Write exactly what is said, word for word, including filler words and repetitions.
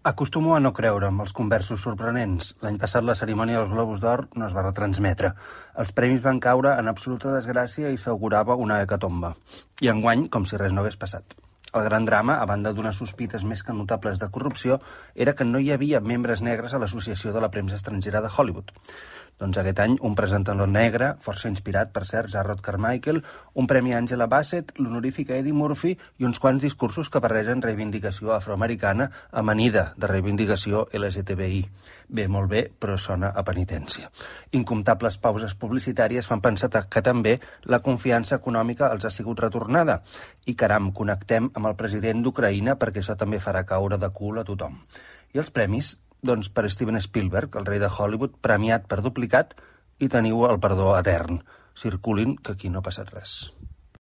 Acostumo a no creure amb els conversos sorprenents. L'any passat la cerimònia dels Globus d'Or no es va retransmetre. Els premis van caure en absoluta desgràcia i s'augurava una hecatomba. I enguany, com si res no hagués passat. El gran drama, a banda d'unes sospites més que notables de corrupció, era que no hi havia membres negres a l'Associació de la Premsa Estrangera de Hollywood. Doncs aquest any un presentador negre, força inspirat, per cert, Jarrod Carmichael, un premi a Angela Bassett, l'honorífic a Eddie Murphy i uns quants discursos que barregen reivindicació afroamericana amanida de reivindicació L G T B I. Bé, molt bé, però sona a penitència. Incomptables pauses publicitàries fan pensar que també la confiança econòmica els ha sigut retornada. I caram, connectem amb el president d'Ucraïna perquè això també farà caure de cul a tothom. I els premis? Doncs per Steven Spielberg, el rei de Hollywood, premiat per duplicat, i teniu el perdó etern. Circulin, que aquí no ha passat res.